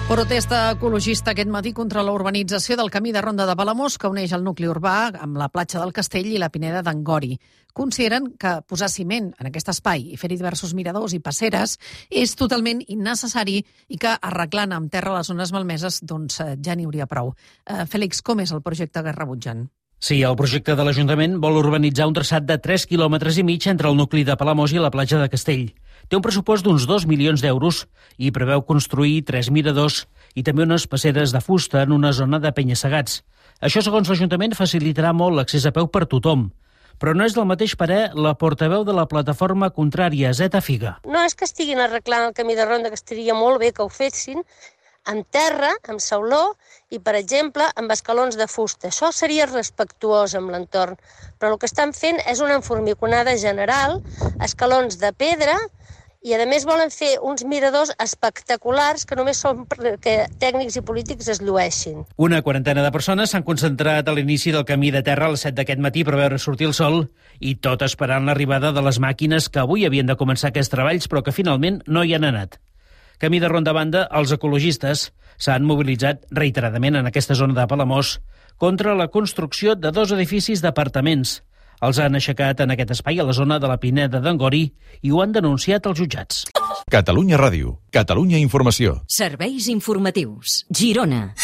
Protesta ecologista aquest matí contra la urbanització del camí de Ronda de Palamós que uneix el nucli urbà amb la platja del Castell i la Pineda d'Angori. Consideren que posar ciment en aquest espai i fer-hi diversos miradors i passeres és totalment innecessari i que arreglant amb terra les zones malmeses doncs ja n'hi hauria prou. Fèlix, com és el projecte que rebutgen? Sí, el projecte de l'Ajuntament vol urbanitzar un traçat de 3,5 quilòmetres entre el nucli de Palamós i la platja de Castell. Té un pressupost d'uns 2 milions d'euros i preveu construir 3 miradors i també unes passeres de fusta en una zona de penya-segats. Això, segons l'Ajuntament, facilitarà molt l'accés a peu per tothom. Però no és del mateix parer la portaveu de la plataforma contrària, Zeta Figa. No és que estiguin arreglant el camí de ronda, que estaria molt bé que ho fessin, amb terra, amb sauló i, per exemple, amb escalons de fusta. Això seria respectuós amb l'entorn. Però el que estan fent és una enformiconada general, escalons de pedra, i a més volen fer uns miradors espectaculars que només són perquè tècnics i polítics es llueixin. Una quarantena de persones s'han concentrat a l'inici del camí de terra a les 7 d'aquest matí per veure sortir el sol i tot esperant l'arribada de les màquines que avui havien de començar aquests treballs però que finalment no hi han anat. Camí de ronda a banda, els ecologistes s'han mobilitzat reiteradament en aquesta zona de Palamós contra la construcció de 2 edificis d'apartaments. Els han aixecat en aquest espai a la zona de la Pineda d'Angori i ho han denunciat als jutjats. Catalunya Ràdio, Catalunya Informació. Serveis informatius. Girona.